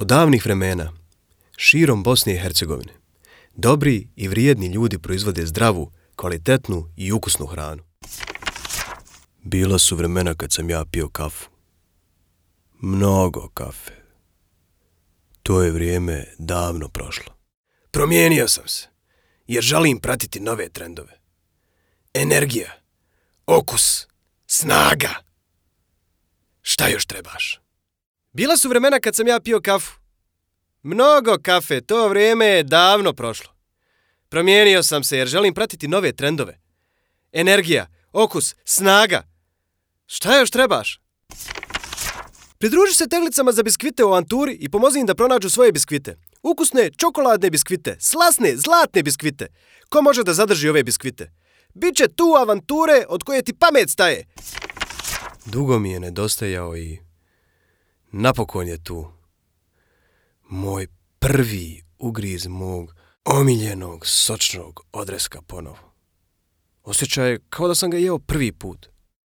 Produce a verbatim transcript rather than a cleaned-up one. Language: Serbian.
Od davnih vremena, širom Bosne i Hercegovine, dobri i vrijedni ljudi proizvode zdravu, kvalitetnu i ukusnu hranu. Bila su vremena kad sam ja pio kafu. Mnogo kafe. To je vrijeme davno prošlo. Promijenio sam se, jer želim pratiti nove trendove. Energija, okus, snaga. Šta još trebaš? Bila su vremena kad sam ja pio kafu. Mnogo kafe, to vrijeme je davno prošlo. Promijenio sam se jer želim pratiti nove trendove. Energija, okus, snaga. Šta još trebaš? Pridruži se teglicama za biskvite u avanturi i pomozi im da pronađu svoje biskvite. Ukusne, čokoladne biskvite, slasne, zlatne biskvite. Ko može da zadrži ove biskvite? Biće tu avanture od koje ti pamet staje. Dugo mi je nedostajao i napokon je tu. Moj prvi ugriz mog omiljenog sočnog odreska ponovo. Osjećaj je kao da sam ga jeo prvi put.